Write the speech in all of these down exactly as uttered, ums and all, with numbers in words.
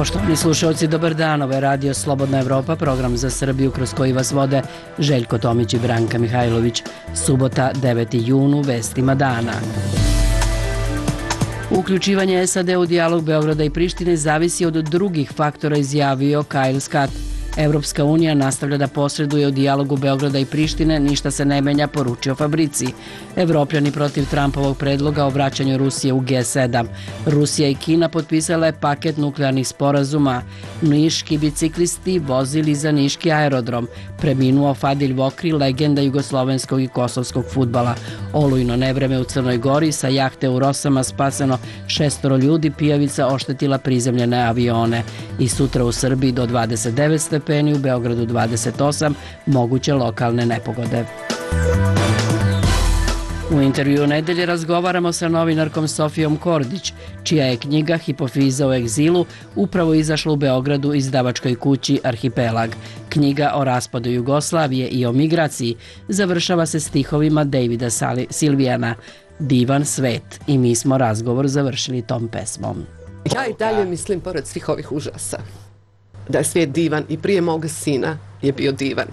Poštovani slušalci, dobar dan. Ovo je Radio Slobodna Evropa, program za Srbiju kroz koji vas vode Željko Tomić i Branka Mihajlović. Subota, deveti jun, u vestima dana. Uključivanje S A D u dijalog Beograda i Prištine zavisi od drugih faktora, izjavio Kyle Scott. Evropska unija nastavlja da posreduje u dijalogu Beograda i Prištine, ništa se ne menja, poručio Fabrici. Evropljani protiv Trumpovog predloga o vraćanju Rusije u G sedam. Rusija i Kina potpisale paket nuklearnih sporazuma. Niški biciklisti vozili za niški aerodrom. Preminuo Fadil Vokri, legenda jugoslovenskog i kosovskog fudbala. Olujno nevreme u Crnoj Gori, sa jahte u Rosama spaseno šestoro ljudi, pijavica oštetila prizemljene avione. I sutra u Srbiji do dvadeset devet stepeni, u Beogradu dvadeset osam, moguće lokalne nepogode. U intervju nedelje razgovaramo sa novinarkom Sofijom Kordić, čija je knjiga Hipofiza u egzilu upravo izašla u Beogradu izdavačkoj kući Arhipelag. Knjiga o raspadu Jugoslavije i o migraciji završava se stihovima Davida Silvijana, Divan svet, i mi smo razgovor završili tom pesmom. Ja i dalje mislim, pored svih ovih užasa, da je svijet divan i prije moga sina je bio divan.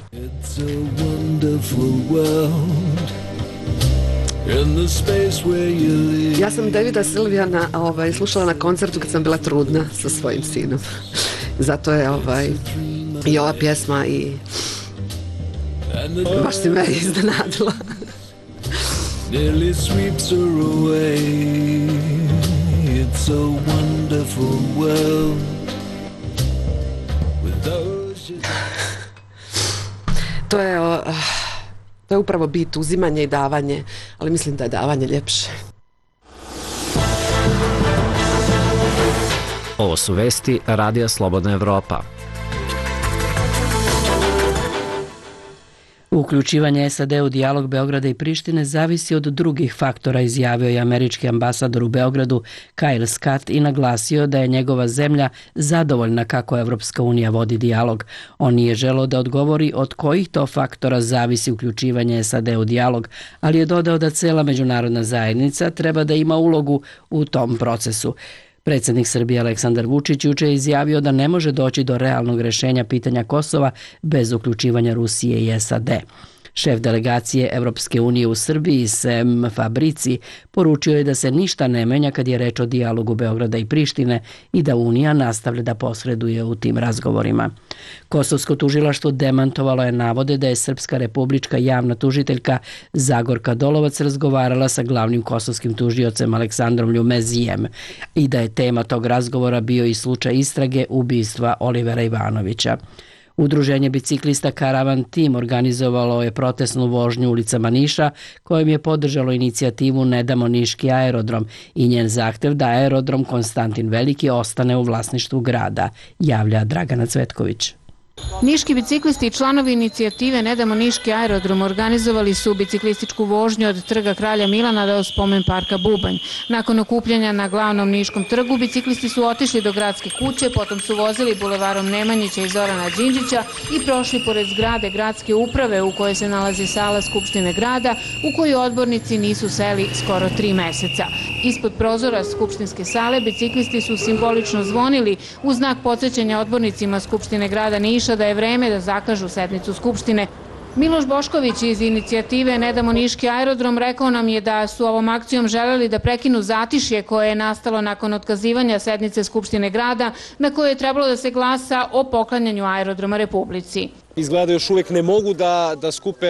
Ja sam Davida Silvijana ovaj, slušala na koncertu kad sam bila trudna sa svojim sinom. Zato je ovaj, i ova pjesma i baš si me iznenadila. Nearly sweeps her away. It's a wonderful world. To je, uh, to je upravo bit, uzimanje i davanje, ali mislim da je davanje ljepše. Ovo su vesti Radija Slobodna Evropa. Uključivanje S A D u dijalog Beograda i Prištine zavisi od drugih faktora, izjavio je američki ambasador u Beogradu Kyle Scott i naglasio da je njegova zemlja zadovoljna kako Evropska unija vodi dijalog. On nije želeo da odgovori od kojih to faktora zavisi uključivanje S A D u dijalog, ali je dodao da cela međunarodna zajednica treba da ima ulogu u tom procesu. Predsjednik Srbije Aleksandar Vučić juče je izjavio da ne može doći do realnog rješenja pitanja Kosova bez uključivanja Rusije i S A D. Šef delegacije Evropske unije u Srbiji, Sem Fabrici, poručio je da se ništa ne menja kad je reč o dijalogu Beograda i Prištine i da Unija nastavlja da posreduje u tim razgovorima. Kosovsko tužilaštvo demantovalo je navode da je Srpska republička javna tužiteljka Zagorka Dolovac razgovarala sa glavnim kosovskim tužiocem Aleksandrom Ljumezijem i da je tema tog razgovora bio i slučaj istrage ubistva Olivera Ivanovića. Udruženje biciklista Karavan Tim organizovalo je protestnu vožnju ulicama Niša, kojim je podržalo inicijativu Ne damo niški aerodrom i njen zahtev da aerodrom Konstantin Veliki ostane u vlasništvu grada, javlja Dragana Cvetković. Niški biciklisti i članovi inicijative Ne damo niški aerodrom organizovali su biciklističku vožnju od trga Kralja Milana do spomen parka Bubanj. Nakon okupljanja na glavnom Niškom trgu, biciklisti su otišli do gradske kuće, potom su vozili bulevarom Nemanjića i Zorana Đinđića i prošli pored zgrade gradske uprave u kojoj se nalazi sala Skupštine grada, u koju odbornici nisu seli skoro tri meseca. Ispod prozora Skupštinske sale biciklisti su simbolično zvonili u znak podsjećanja odbornicima Skupštine grada Niša da je vreme da zakažu sednicu Skupštine. Miloš Bošković iz inicijative Ne damo niški aerodrom rekao nam je da su ovom akcijom želeli da prekinu zatišje koje je nastalo nakon otkazivanja sednice Skupštine grada na kojoj je trebalo da se glasa o poklanjanju aerodroma Republici. Izgleda još uvijek ne mogu da, da skupe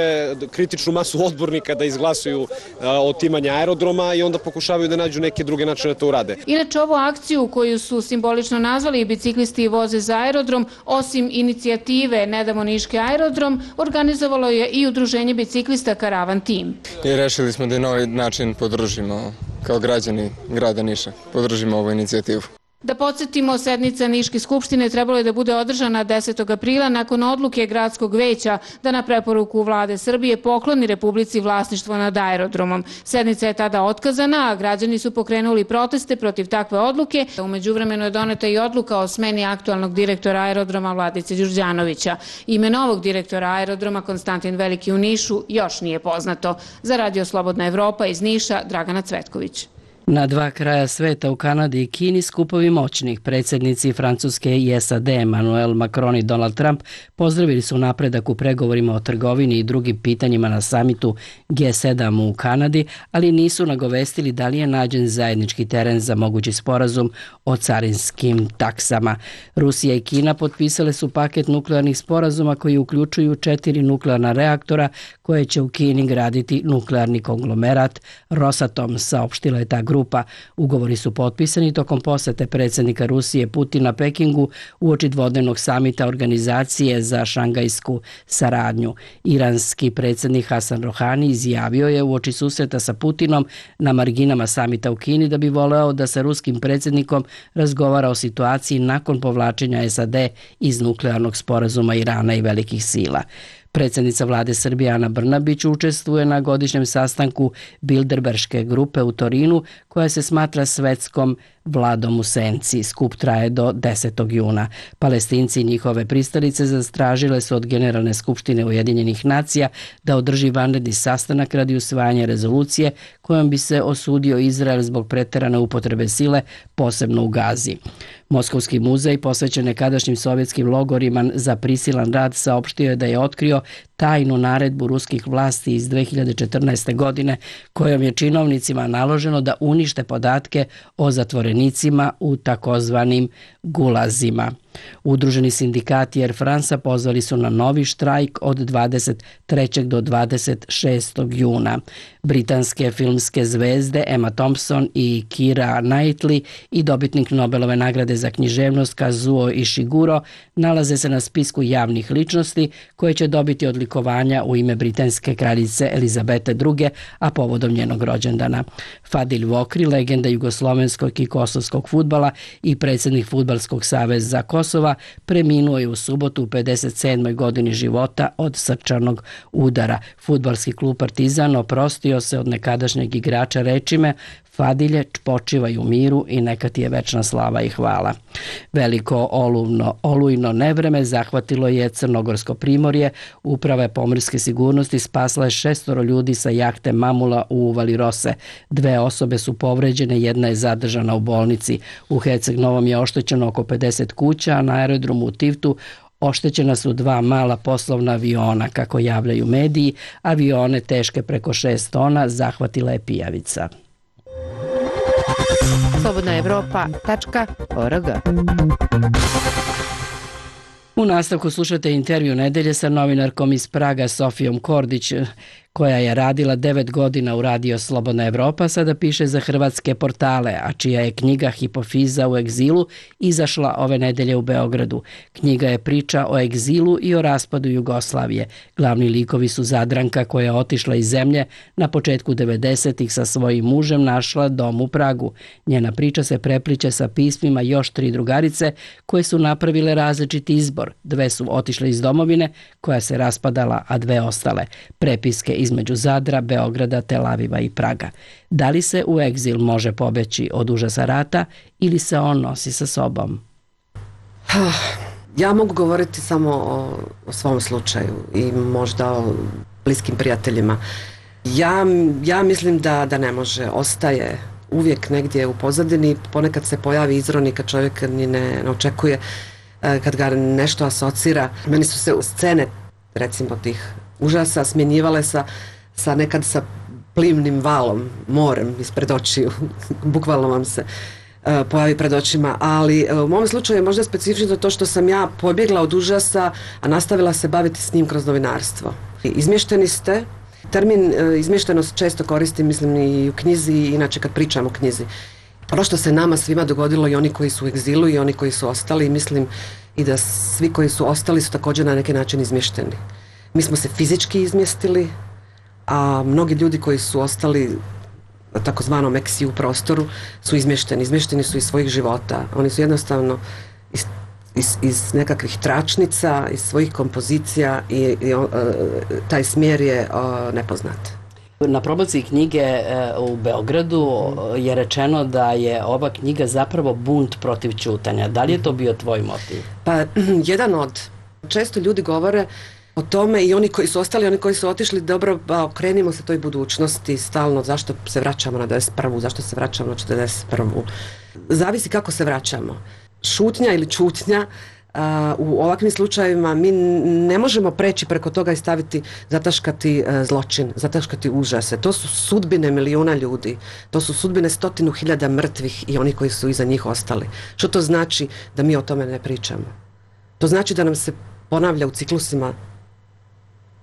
kritičnu masu odbornika da izglasuju a, otimanje aerodroma i onda pokušavaju da nađu neke druge načine da to urade. Inače, ovu akciju koju su simbolično nazvali biciklisti voze za aerodrom, osim inicijative Ne damo niški aerodrom, organizovalo je i udruženje biciklista Karavan Tim. I rešili smo da na ovaj način podržimo kao građani grada Niša, podržimo ovu inicijativu. Da podsjetimo, sednica Niške skupštine trebalo je da bude održana desetog aprila nakon odluke gradskog veća da na preporuku vlade Srbije pokloni Republici vlasništvo nad aerodromom. Sednica je tada otkazana, a građani su pokrenuli proteste protiv takve odluke. U međuvremenu je doneta i odluka o smeni aktualnog direktora aerodroma Vladice Đurđanovića. Ime novog direktora aerodroma Konstantin Veliki u Nišu još nije poznato. Za Radio Slobodna Evropa iz Niša, Dragana Cvetković. Na dva kraja sveta, u Kanadi i Kini, skupovi moćnih predsjednici Francuske i S A D Emmanuel Macron i Donald Trump pozdravili su napredak u pregovorima o trgovini i drugim pitanjima na samitu G sedam u Kanadi, ali nisu nagovestili da li je nađen zajednički teren za mogući sporazum o carinskim taksama. Rusija i Kina potpisale su paket nuklearnih sporazuma koji uključuju četiri nuklearna reaktora koje će u Kini graditi nuklearni konglomerat Rosatom, saopštila je ta grupa. Ugovori su potpisani tokom posete predsjednika Rusije Putina Pekingu uoči dvodnevnog samita Organizacije za šangajsku saradnju. Iranski predsjednik Hasan Rohani izjavio je uoči susreta sa Putinom na marginama samita u Kini da bi voleo da sa ruskim predsjednikom razgovara o situaciji nakon povlačenja S A D iz nuklearnog sporazuma Irana i velikih sila. Predsjednica vlade Srbije Ana Brnabić učestvuje na godišnjem sastanku Bilderberške grupe u Torinu, koja se smatra svetskom vladom u senci. Skup traje do desetog juna. Palestinci i njihove pristalice zastražile su od Generalne skupštine Ujedinjenih nacija da održi vanredni sastanak radi usvajanja rezolucije kojom bi se osudio Izrael zbog preterane upotrebe sile, posebno u Gazi. Moskovski muzej, posvećen nekadašnjim sovjetskim logorima za prisilan rad, saopštio je da je otkrio tajnu naredbu ruskih vlasti iz dve hiljade četrnaeste. godine kojom je činovnicima naloženo da unište podatke o zatvorenicima u takozvanim gulazima. Udruženi sindikati Air Franca pozvali su na novi štrajk od dvadeset trećeg do dvadeset šestog juna. Britanske filmske zvezde Emma Thompson i Keira Knightley i dobitnik Nobelove nagrade za književnost Kazuo Ishiguro nalaze se na spisku javnih ličnosti koje će dobiti odlikovanja u ime britanske kraljice Elizabete druge, a povodom njenog rođendana. Fadil Vokri, legenda jugoslovenskog i kosovskog fudbala i predsjednik Fudbalskog saveza Kosova, preminuo je u subotu u pedeset sedmoj godini života od srčanog udara. Fudbalski klub Partizan oprostio se od nekadašnjeg igrača rečima: Fadilje, počivaj u miru i neka ti je večna slava i hvala. Veliko oluvno, olujno nevreme zahvatilo je Crnogorsko primorje. Uprava pomorske sigurnosti spasla je šestoro ljudi sa jahte Mamula u uvali Rose. Dve osobe su povređene, jedna je zadržana u bolnici. U Herceg Novom je oštećeno oko pedeset kuća, a na aerodromu u Tivtu oštećena su dva mala poslovna aviona. Kako javljaju mediji, avione teške preko šest tona zahvatila je pijavica. slobodna evropa tačka org. U nastavku slušate intervju nedelje sa novinarkom iz Praga Sofijom Kordić, koja je radila devet godina u Radio Slobodna Evropa, sada piše za hrvatske portale, a čija je knjiga Hipofiza u egzilu izašla ove nedelje u Beogradu. Knjiga je priča o egzilu i o raspadu Jugoslavije. Glavni likovi su Zadranka, koja je otišla iz zemlje na početku devedesetih sa svojim mužem, našla dom u Pragu. Njena priča se prepliče sa pismima još tri drugarice koje su napravile različiti izbor. Dve su otišle iz domovine koja se raspadala, a dve ostale. Prepiske između Zadra, Beograda, Tel Aviva i Praga. Da li se u egzil može pobeći od užasa rata ili se on nosi sa sobom? Ja mogu govoriti samo o, o svom slučaju i možda o bliskim prijateljima. Ja, ja mislim da, da ne može. Ostaje uvijek negdje u pozadini. Ponekad se pojavi izroni kad čovjek ni ne, ne očekuje, kad ga nešto asocira. Meni su se scene, recimo, tih užasa smjenjivale sa, sa nekad sa plimnim valom, morem ispred očiju, bukvalno vam se uh, pojavi pred očima, ali uh, u mom slučaju je možda specifično to što sam ja pobjegla od užasa, a nastavila se baviti s njim kroz novinarstvo. Izmješteni ste, termin uh, izmještenost često koristim, mislim, i u knjizi i inače kad pričam o knjizi. Ono što se nama svima dogodilo, i oni koji su u egzilu i oni koji su ostali, mislim i da svi koji su ostali su također na neki način izmješteni. Mi smo se fizički izmjestili, a mnogi ljudi koji su ostali na takozvanom eksiju prostoru su izmješteni. Izmješteni su iz svojih života. Oni su jednostavno iz, iz, iz nekakvih tračnica, iz svojih kompozicija i, i uh, taj smjer je uh, nepoznat. Na promociji knjige u Beogradu je rečeno da je ova knjiga zapravo bunt protiv ćutanja. Da li je to bio tvoj motiv? Pa, jedan od. Često ljudi govore o tome i oni koji su ostali, oni koji su otišli, dobro, ba, okrenimo se toj budućnosti stalno, zašto se vraćamo na devedeset prvu, zašto se vraćamo na četrdeset prvu. Zavisi kako se vraćamo. Šutnja ili čutnja, a, u ovakvim slučajevima mi ne možemo preći preko toga i staviti, zataškati a, zločin, zataškati užase. To su sudbine milijuna ljudi, to su sudbine stotinu hiljada mrtvih i oni koji su iza njih ostali. Što to znači da mi o tome ne pričamo? To znači da nam se ponavlja u ciklusima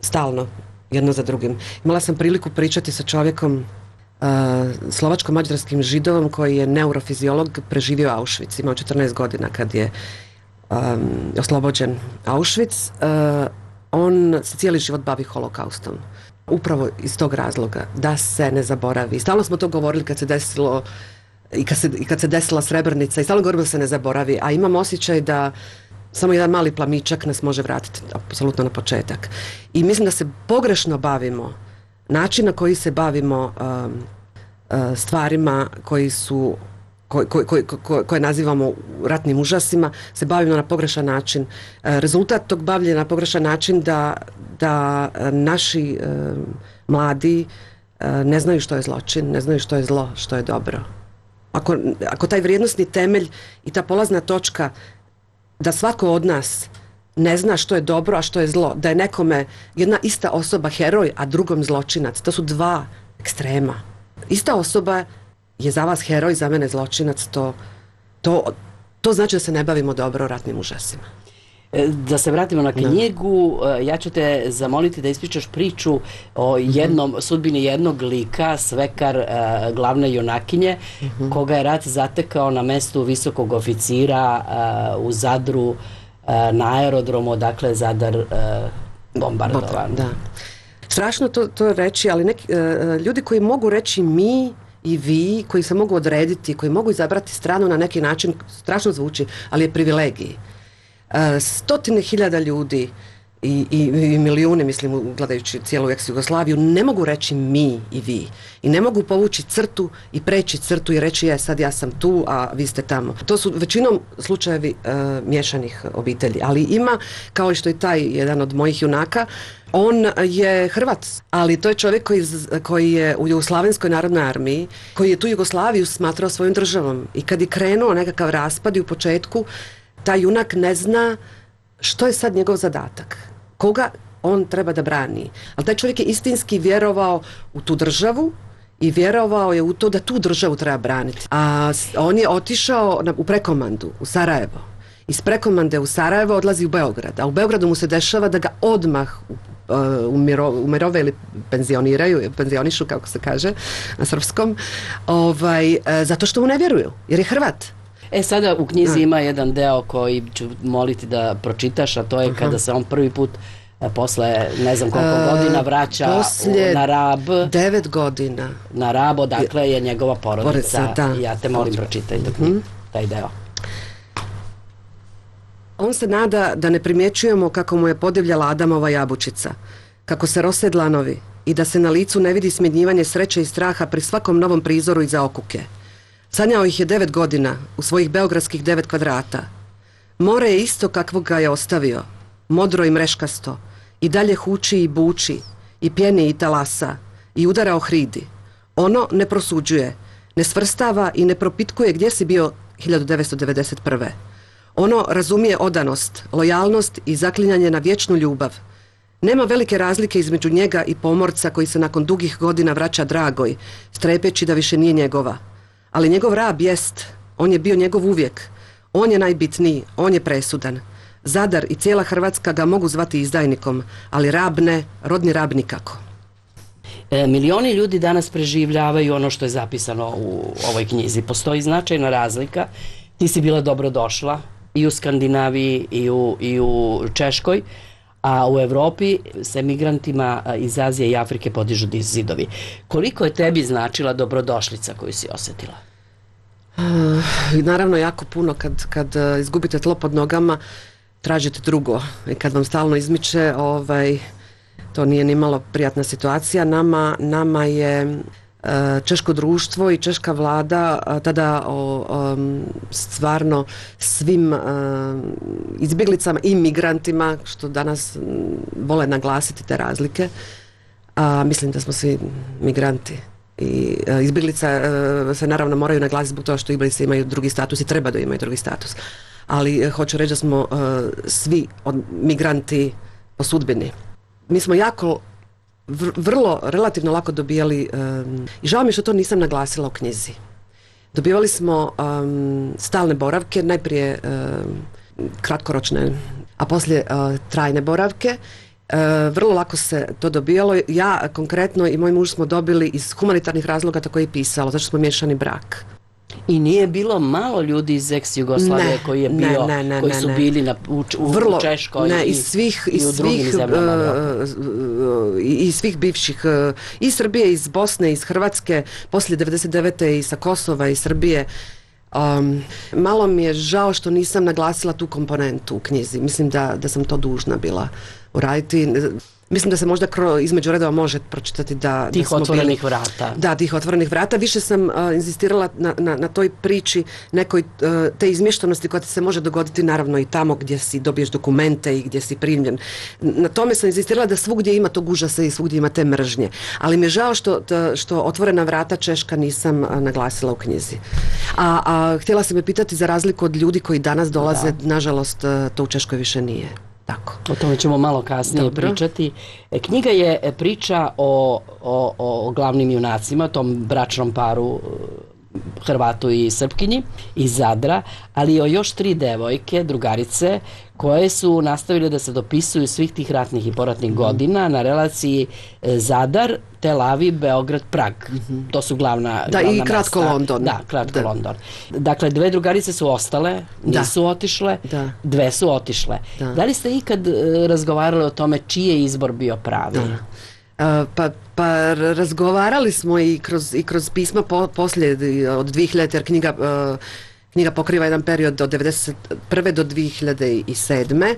stalno, jedno za drugim. Imala sam priliku pričati sa čovjekom, uh, slovačko-mađarskim Židovom koji je neurofiziolog, preživio Auschwitz, imao četrnaest godina kad je um, oslobođen Auschwitz. Uh, on se cijeli život bavi holokaustom. Upravo iz tog razloga, da se ne zaboravi. Stalno smo to govorili kad se desilo i kad se, i kad se desila Srebrenica i stalno govorimo da se ne zaboravi, a imam osjećaj da samo jedan mali plamičak nas može vratiti apsolutno na početak. I mislim da se pogrešno bavimo, način na koji se bavimo um, uh, stvarima koji su, koje, koje, koje, koje nazivamo ratnim užasima, se bavimo na pogrešan način. Uh, rezultat tog bavljenja na pogrešan način da, da uh, naši uh, mladi uh, ne znaju što je zločin, ne znaju što je zlo, što je dobro. Ako, ako taj vrijednosni temelj i ta polazna točka da svako od nas ne zna što je dobro, a što je zlo, da je nekome jedna ista osoba heroj, a drugom zločinac, to su dva ekstrema. Ista osoba je za vas heroj, za mene zločinac, to, to, to znači da se ne bavimo dobro ratnim užasima. Da se vratimo na knjigu, no. Ja ću te zamoliti da ispričaš priču o jednom, mm-hmm. sudbini jednog lika, Svekar, uh, glavne junakinje, mm-hmm. koga je rat zatekao na mestu visokog oficira uh, u Zadru, uh, na aerodromu, dakle Zadar uh, bombardovan. Da. Strašno to, to reći, ali neki, uh, ljudi koji mogu reći mi i vi, koji se mogu odrediti, koji mogu izabrati stranu na neki način, strašno zvuči, ali je privilegij. Uh, stotine hiljada ljudi i, i, i milijune, mislim, gledajući cijelu ex-Jugoslaviju, ne mogu reći mi i vi. I ne mogu povući crtu i preći crtu i reći je sad ja sam tu, a vi ste tamo. To su većinom slučajevi uh, miješanih obitelji. Ali ima, kao što i taj jedan od mojih junaka, on je Hrvat, ali to je čovjek koji, koji je u Jugoslavenskoj narodnoj armiji, koji je tu Jugoslaviju smatrao svojom državom. I kad je krenuo nekakav raspad i u početku, taj junak ne zna što je sad njegov zadatak, koga on treba da brani. Ali taj čovjek je istinski vjerovao u tu državu i vjerovao je u to da tu državu treba braniti. A on je otišao na, u prekomandu, u Sarajevo. Iz prekomande u Sarajevo odlazi u Beograd, a u Beogradu mu se dešava da ga odmah uh, umiro, umirove ili penzioniraju, penzionišu, kako se kaže na srpskom, ovaj, uh, zato što mu ne vjeruju, jer je Hrvat. E sada u knjizi ima jedan deo koji ću moliti da pročitaš, a to je Aha. kada se on prvi put posle ne znam koliko e, godina vraća na Rab. Devet godina. Na Rab, odakle je njegova porodica. Da. Ja te molim pročitaj mm-hmm. taj deo. On se nada da ne primjećujemo kako mu je podivljala Adamova jabučica, kako se rose dlanovi i da se na licu ne vidi smjenjivanje sreće i straha pri svakom novom prizoru iza okuke. Sanjao ih je devet godina, u svojih beogradskih devet kvadrata. More je isto kakvog ga je ostavio, modro i mreškasto, i dalje huči i buči, i pjeni i talasa, i udara o hridi. Ono ne prosuđuje, ne svrstava i ne propitkuje gdje si bio hiljadu devetsto devedeset prve. Ono razumije odanost, lojalnost i zaklinjanje na vječnu ljubav. Nema velike razlike između njega i pomorca koji se nakon dugih godina vraća dragoj, strepeći da više nije njegova. Ali njegov Rab jest, on je bio njegov uvijek. On je najbitniji, on je presudan. Zadar i cijela Hrvatska ga mogu zvati izdajnikom, ali Rab ne, rodni Rab nikako. E, milioni ljudi danas preživljavaju ono što je zapisano u ovoj knjizi. Postoji značajna razlika. Ti si bila dobrodošla i u Skandinaviji i u, i u Češkoj, a u Evropi se migrantima iz Azije i Afrike podižu zidovi. Koliko je tebi značila dobrodošlica koju si osjetila? Uh, naravno jako puno. Kad, kad uh, izgubite tlo pod nogama, tražite drugo. I kad vam stalno izmiče, ovaj, to nije ni malo prijatna situacija. Nama, nama je češko društvo i češka vlada tada o, o stvarno svim izbjeglicama i migrantima, što danas vole naglasiti te razlike, a mislim da smo svi migranti. I izbjeglica se naravno moraju naglasiti zbog toga što izbjeglice imaju drugi status i treba da imaju drugi status. Ali hoću reći da smo svi migranti po sudbini. Mi smo jako vrlo, relativno lako dobijali, um, i žao mi je što to nisam naglasila u knjizi. Dobivali smo um, stalne boravke, najprije um, kratkoročne, a poslije uh, trajne boravke. Uh, vrlo lako se to dobijalo. Ja konkretno i moj muž smo dobili iz humanitarnih razloga, tako je i pisalo, zato što smo miješani brak. I nije bilo malo ljudi iz ex-Jugoslavije koji je bio, ne, ne, koji ne, su ne. bili na, u, u Vrlo, Češkoj ne, i, iz svih, i iz u drugim svih, zemljama. uh, i, i svih bivših, uh, iz Srbije, iz Bosne, iz Hrvatske, poslije devedeset devete i sa Kosova i Srbije. Um, malo mi je žao što nisam naglasila tu komponentu u knjizi. Mislim da, da sam to dužna bila uraditi. Mislim da se možda kro, između redova može pročitati da... Tih da smo otvorenih bili, vrata. Da, tih otvorenih vrata. Više sam uh, insistirala na, na, na toj priči nekoj uh, te izmještanosti koja ti se može dogoditi naravno i tamo gdje si dobiješ dokumente i gdje si primljen. Na tome sam insistirala da svugdje ima tog užasa i svugdje ima te mržnje. Ali mi je žao što, t, što otvorena vrata Češka nisam uh, naglasila u knjizi. A, a htjela sam me pitati za razliku od ljudi koji danas dolaze, da. Nažalost uh, to u Češkoj više nije. Tako. O tome ćemo malo kasnije Dobro. pričati. Knjiga je priča o, o, o glavnim junacima, tom bračnom paru Hrvatu i Srpkinji iz Zadra, ali i o još tri devojke, drugarice, koje su nastavile da se dopisuju svih tih ratnih i poratnih mm-hmm. godina na relaciji Zadar, Tel Aviv, Beograd, Prag. Mm-hmm. To su glavna, da, glavna i kratko mesta. London. Da, kratko da. London. Dakle, dve drugarice su ostale, nisu da. otišle, da. dve su otišle. Da. da li ste ikad razgovarali o tome čiji je izbor bio pravi? Da. Uh, pa, pa razgovarali smo i kroz, i kroz pisma po, poslije od dvije hiljadite jer knjiga, uh, knjiga pokriva jedan period od devedeset prve do dvije hiljade sedme.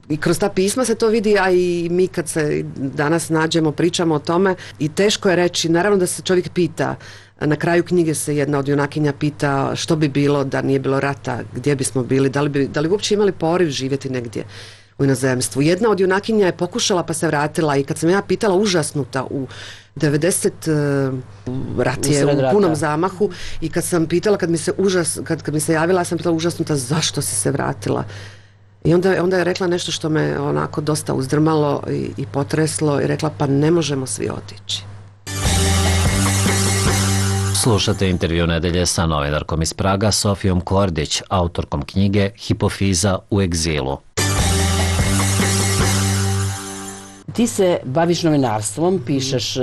I kroz ta pisma se to vidi, a i mi kad se danas nađemo, pričamo o tome i teško je reći, naravno da se čovjek pita, na kraju knjige se jedna od junakinja pita što bi bilo da nije bilo rata, gdje bismo bili, da li bi, da li bi uopće imali poriv živjeti negdje u inozemstvu. Jedna od junakinja je pokušala pa se vratila i kad sam ja pitala užasnuta u devedeset uh, rat je u punom zamahu i kad sam pitala, kad mi se užas, kad, kad mi se javila, ja sam pitala užasnuta zašto si se vratila. I onda, onda je rekla nešto što me onako dosta uzdrmalo i, i potreslo i rekla pa ne možemo svi otići. Slušate intervju nedelje sa novinarkom iz Praga Sofijom Kordić, autorkom knjige Hipofiza u egzilu. Ti se baviš novinarstvom, pišeš e,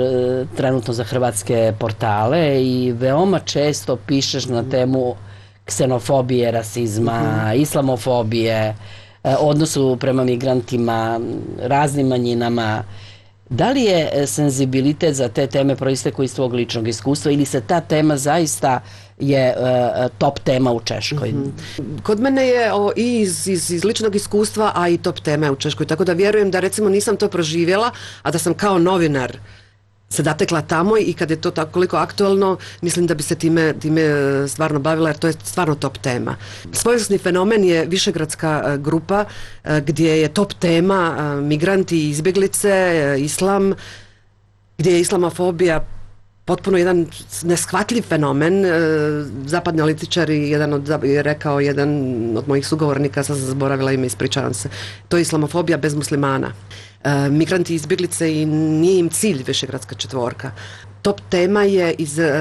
trenutno za hrvatske portale i veoma često pišeš na temu ksenofobije, rasizma, mm-hmm. islamofobije, e, odnosu prema migrantima, raznim manjinama. Da li je senzibilitet za te teme proistekao iz tvog ličnog iskustva ili se ta tema zaista je uh, top tema u Češkoj? Mm-hmm. Kod mene je o, i iz, iz, iz ličnog iskustva, a i top tema u Češkoj. Tako da vjerujem da recimo nisam to proživjela, a da sam kao novinar se zatekla tamo i kad je to tako koliko aktualno, mislim da bi se time, time stvarno bavila jer to je stvarno top tema. Svojevrsni fenomen je višegradska grupa gdje je top tema migranti i izbjeglice, islam, gdje je islamofobija potpuno jedan neshvatljiv fenomen. Zapadni analitičari, jedan od, je rekao jedan od mojih sugovornika, sad sam zaboravila ime, ispričavam se, to je islamofobija bez muslimana. E, migranti i izbjeglice i nije im cilj višegradska četvorka. Top tema je iz e,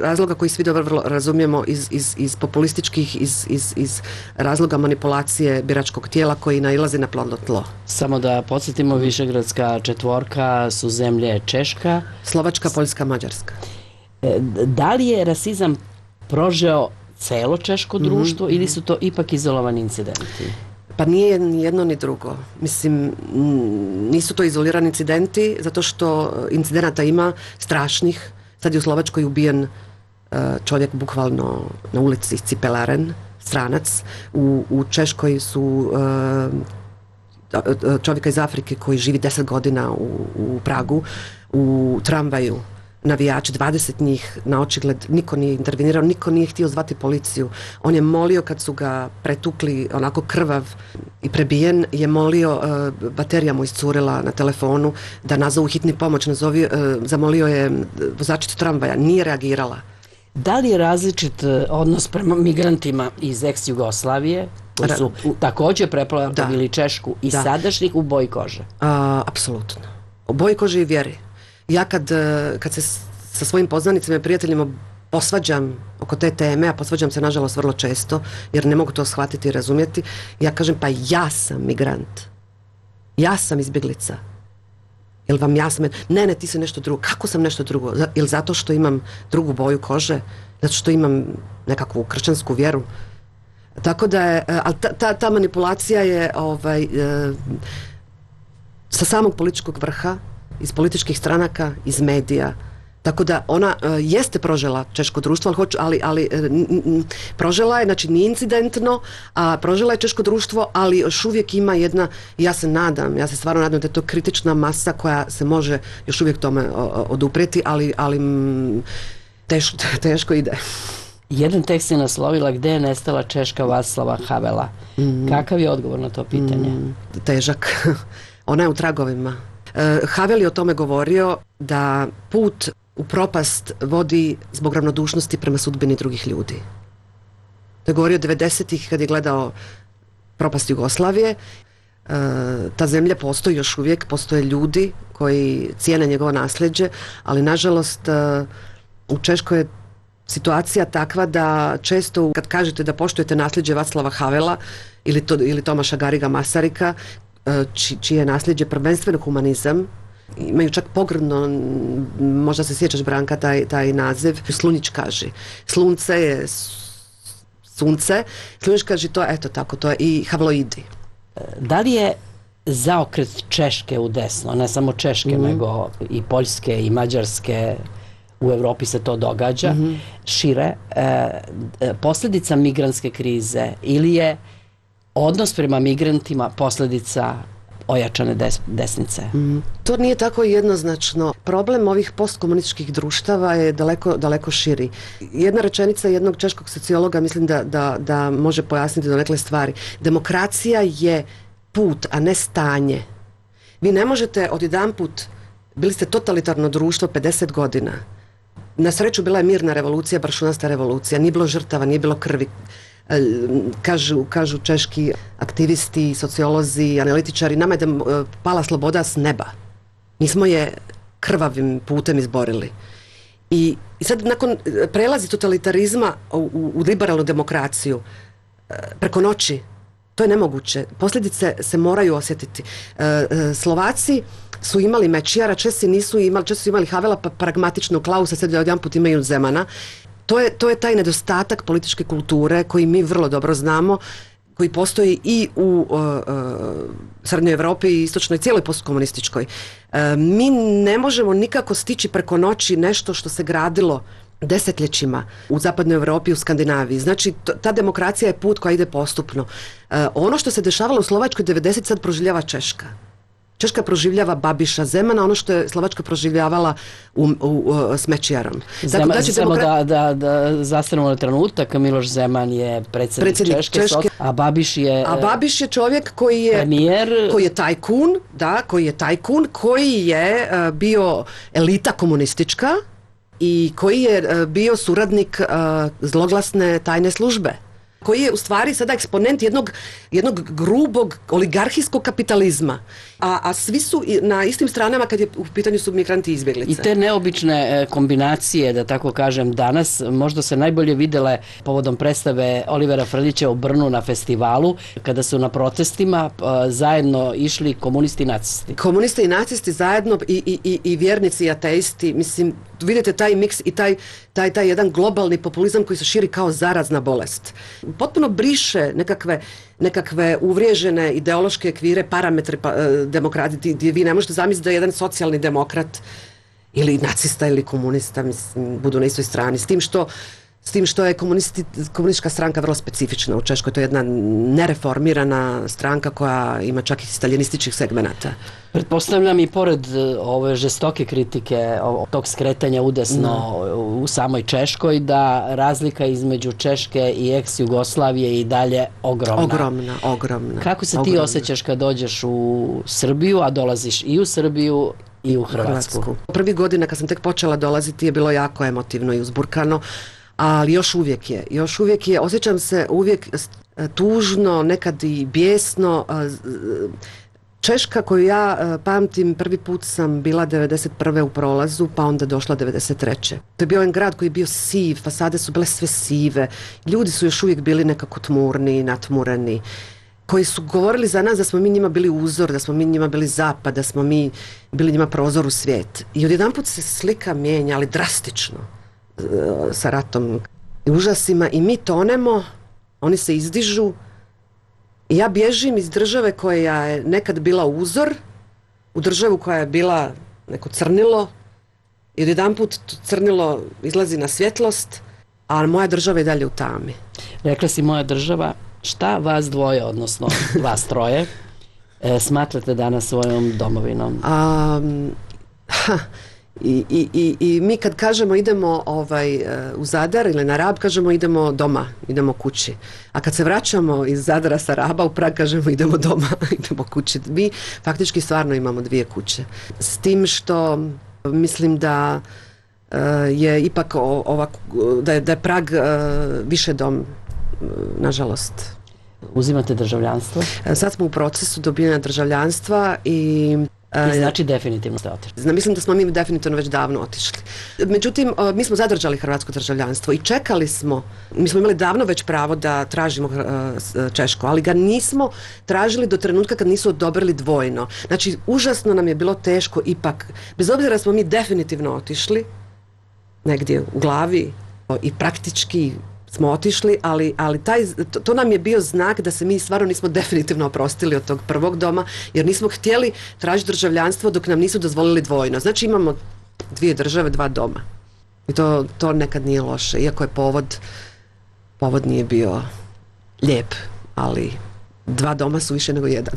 razloga koji svi dobro vrlo razumijemo iz, iz, iz populističkih, iz, iz, iz razloga manipulacije biračkog tijela koji nailazi na plodno tlo. Samo da podsjetimo, višegradska četvorka su zemlje Češka, Slovačka, Poljska, Mađarska. E, da li je rasizam prožeo celo češko društvo mm-hmm. ili su to ipak izolovani incidenti? Pa nije ni jedno ni drugo. Mislim, nisu to izolirani incidenti, zato što incidenata ima strašnih. Sad je u Slovačkoj ubijen čovjek bukvalno na ulici Cipelaren, stranac. U, u Češkoj su čovjeka iz Afrike koji živi deset godina u, u Pragu, u tramvaju navijači, dvadeset njih na očigled, niko nije intervenirao, niko nije htio zvati policiju. On je molio kad su ga pretukli onako krvav i prebijen, je molio, uh, baterija mu iscurila na telefonu da nazovu hitni pomoć, nazovi, uh, zamolio je vozačicu tramvaja, nije reagirala. Da li je različit odnos prema migrantima iz ex-Jugoslavije, koji su također preplavili Češku, i da. Sadašnjih u boji kože? A, apsolutno. U boji kože i vjeri. Ja kad, kad se sa svojim poznanicima i prijateljima posvađam oko te teme, a posvađam se nažalost vrlo često, jer ne mogu to shvatiti i razumjeti, ja kažem pa ja sam migrant. Ja sam izbjeglica. Jel vam jasno? Ne, ne, ti si nešto drugo. Kako sam nešto drugo? Jel zato što imam drugu boju kože? Zato što imam nekakvu kršćansku vjeru? Tako da je, ali ta, ta, ta manipulacija je ovaj, e, sa samog političkog vrha, iz političkih stranaka, iz medija. Tako da ona e, jeste prožela češko društvo, ali, hoću, ali, ali e, n, n, prožela je, znači nije incidentno, a prožela je češko društvo, ali još uvijek ima jedna, ja se nadam, ja se stvarno nadam da je to kritična masa koja se može još uvijek tome o, oduprijeti, ali, ali m, teško, teško ide. Jedan tekst je naslovila Gde je nestala Češka Václava Havela. Mm. Kakav je odgovor na to pitanje? Mm, težak. Ona je u tragovima. E, Havel je o tome govorio da put u propast vodi zbog ravnodušnosti prema sudbini drugih ljudi. To je govorio devedesetih kad je gledao propast Jugoslavije. E, ta zemlja postoji još uvijek, postoje ljudi koji cijene njegovo nasljeđe, ali nažalost e, u Češkoj je situacija takva da često kad kažete da poštujete nasljeđe Václava Havela ili, to, ili Tomaša Gariga Masarika, či, čije je nasljeđe prvenstveno humanizam, imaju čak pogrdno, možda se sjećaš Branka, taj, taj naziv, slunjičkaži. Slunce je sunce, slunjičkaži to je, eto tako, to je i havloidi. Da li je zaokret Češke u desno, ne samo Češke, mm. nego i Poljske i Mađarske, u Europi se to događa, mm-hmm. šire, e, posljedica migrantske krize ili je odnos prema migrantima posljedica ojačane des, desnice? Mm. To nije tako jednoznačno. Problem ovih postkomunističkih društava je daleko, daleko širi. Jedna rečenica jednog češkog sociologa mislim da, da, da može pojasniti donekle stvari. Demokracija je put, a ne stanje. Vi ne možete odjedanput, bili ste totalitarno društvo pedeset godina. Na sreću bila je mirna revolucija, brašunasta revolucija, nije bilo žrtava, nije bilo krvi. Kažu, kažu češki aktivisti, sociolozi, analitičari, nama je da pala sloboda s neba. Mi smo je krvavim putem izborili. I, i sad nakon prelazi totalitarizma u, u, u liberalnu demokraciju preko noći, to je nemoguće. Posljedice se moraju osjetiti. Slovaci su imali Mečijara, Česi nisu imali, Česi su imali Havela, pa pragmatičnog Klausa, sad odjedanput imaju Zemana. To je, to je taj nedostatak političke kulture koji mi vrlo dobro znamo, koji postoji i u uh, uh, Srednjoj Europi i istočnoj, cijeloj postkomunističkoj. Uh, mi ne možemo nikako stići preko noći nešto što se gradilo desetljećima u Zapadnoj Europi, u Skandinaviji. Znači, to, ta demokracija je put koja ide postupno. Uh, ono što se dešavalo u Slovačkoj devedeset sad proživljava Češka. Češka proživljava Babiša Zemana, ono što je Slovačka proživljavala u, u, u, s Mečijarom. Zema, dakle, znači, samo demokra... da, da, da zastanemo na trenutak, Miloš Zeman je predsjednik, predsjednik Češke, Češke, a Babiš je... A Babiš je čovjek koji je... Premijer... Koji je tajkun, da, koji je tajkun, koji je uh, bio elita komunistička i koji je uh, bio suradnik uh, zloglasne tajne službe, koji je u stvari sada eksponent jednog, jednog grubog oligarhijskog kapitalizma. A, a svi su na istim stranama kad je u pitanju su migranti i izbjeglice. I te neobične kombinacije, da tako kažem, danas možda se najbolje videle povodom predstave Olivera Frljića u Brnu na festivalu, kada su na protestima zajedno išli komunisti i nacisti. Komunisti i nacisti zajedno i, i, i, i vjernici i ateisti. Mislim, vidite taj miks i taj, taj, taj jedan globalni populizam koji se širi kao zarazna bolest. Potpuno briše nekakve, nekakve uvriježene ideološke ekvire, parametre pa, e, demokrati, gdje vi ne možete zamisliti da je jedan socijalni demokrat ili nacista ili komunista mislim, budu na istoj strani. S tim što S tim što je komunistička stranka vrlo specifična u Češkoj, to je jedna nereformirana stranka koja ima čak i staljinističkih segmenata. Pretpostavljam i pored ove žestoke kritike tog skretanja udesno u samoj Češkoj, da razlika između Češke i ex-Jugoslavije je i dalje ogromna. Ogromna, ogromna. Kako se ogromna. ti osjećaš kad dođeš u Srbiju, a dolaziš i u Srbiju i u Hrvatsku? Hrvatsku. Prvi godina kad sam tek počela dolaziti je bilo jako emotivno i uzburkano, ali još uvijek je, još uvijek je, osjećam se uvijek tužno, nekad i bijesno. Češka koju ja pamtim, prvi put sam bila devedeset prve u prolazu, pa onda došla devedeset treće To je bio jedan grad koji je bio siv, fasade su bile sve sive, ljudi su još uvijek bili nekako tmurni, natmureni, koji su govorili za nas da smo mi njima bili uzor, da smo mi njima bili zapad, da smo mi bili njima prozor u svijet. I odjedanput se slika mijenja, ali drastično, sa ratom i užasima, i mi tonemo, oni se izdižu i ja bježim iz države koja je nekad bila uzor u državu koja je bila neko crnilo i odjedanput crnilo izlazi na svjetlost, a moja država je dalje u tami. Rekla si moja država, šta vas dvoje, odnosno vas troje, e, smatrate danas svojom domovinom? A, ha, i, i, i, I mi kad kažemo idemo ovaj, u Zadar ili na Rab, kažemo idemo doma, idemo kući. A kad se vraćamo iz Zadara sa Raba u Prag, kažemo idemo doma, idemo kući. Mi faktički stvarno imamo dvije kuće. S tim što mislim da uh, je ipak ova, da je, da je Prag uh, više dom, nažalost. Uzimate državljanstvo? Sad smo u procesu dobivanja državljanstva i I znači definitivno ste otišli. Mislim da smo mi definitivno već davno otišli. Međutim, mi smo zadržali hrvatsko državljanstvo i čekali smo, mi smo imali davno već pravo da tražimo češko, ali ga nismo tražili do trenutka kad nisu odobrili dvojno. Znači, užasno nam je bilo teško ipak, bez obzira smo mi definitivno otišli, negdje u glavi i praktički smo otišli, ali, ali taj, to, to nam je bio znak da se mi stvarno nismo definitivno oprostili od tog prvog doma, jer nismo htjeli tražiti državljanstvo dok nam nisu dozvolili dvojno. Znači imamo dvije države, dva doma. I to, to nekad nije loše, iako je povod, povod nije bio lijep, ali dva doma su više nego jedan.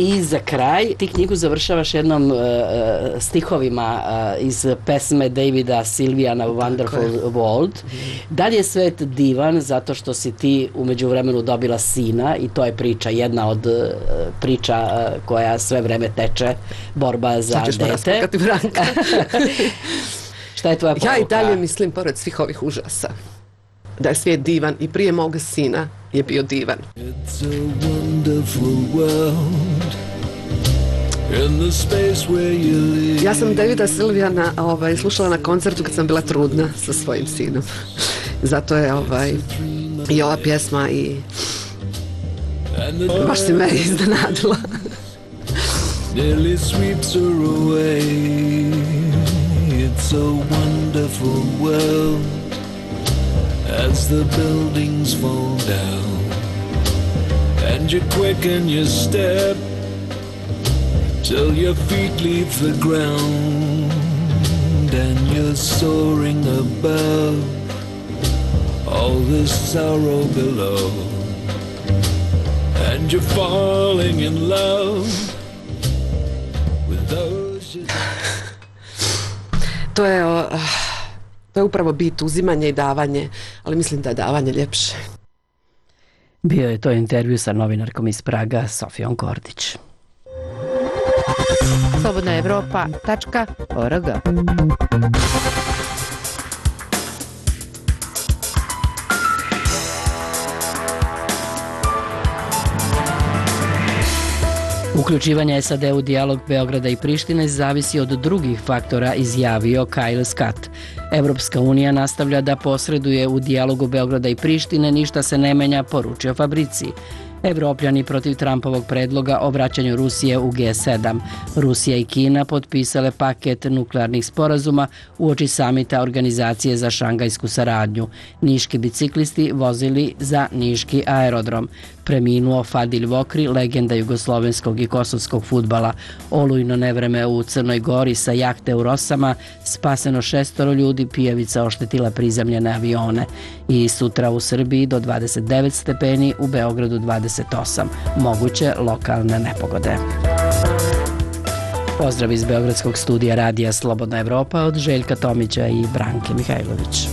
I za kraj, ti knjigu završavaš jednom uh, stihovima uh, iz pesme Davida Sylviana Wonderful World. Da li je svet divan zato što si ti u međuvremenu dobila sina, i to je priča, jedna od uh, priča uh, koja sve vreme teče, borba za dete. Šta je tvoja poruka? Ja i dalje mislim, pored svih ovih užasa, da je svijet divan i prije moga sina je bio divan. It's a wonderful world in the space where you live. Ja sam Davida Sylviana ovaj, slušala na koncertu kad sam bila trudna sa svojim sinom. Zato je ovaj, i ova pjesma i baš si me iznenadila. Nearly sweeps her away. It's a wonderful world as the buildings fall down and you quicken your step till your feet leave the ground and you're soaring above all this sorrow below and you're falling in love with those you... To je uh... To je upravo bit, uzimanje i davanje, ali mislim da je davanje ljepše. Bio je to intervju sa novinarkom iz Praga, Sofijom Kordić. slobodna evropa tačka org. Uključivanje S A D u dijalog Beograda i Prištine zavisi od drugih faktora, izjavio Kyle Scott. Evropska unija nastavlja da posreduje u dijalogu Beograda i Prištine, ništa se ne menja, poručio Fabrici. Evropljani protiv Trumpovog predloga o vraćanju Rusije u G sedam. Rusija i Kina potpisale paket nuklearnih sporazuma uoči samita Organizacije za šangajsku saradnju. Niški biciklisti vozili za niški aerodrom. Preminuo Fadil Vokri, legenda jugoslovenskog i kosovskog fudbala. Olujno nevreme u Crnoj Gori sa jahte u Rosama, spaseno šestoro ljudi, pijavica oštetila prizemljene avione. I sutra u Srbiji do dvadeset devet stepeni, u Beogradu dvadeset osam. Moguće lokalne nepogode. Pozdrav iz Beogradskog studija radija Slobodna Evropa od Željka Tomića i Branke Mihajlović.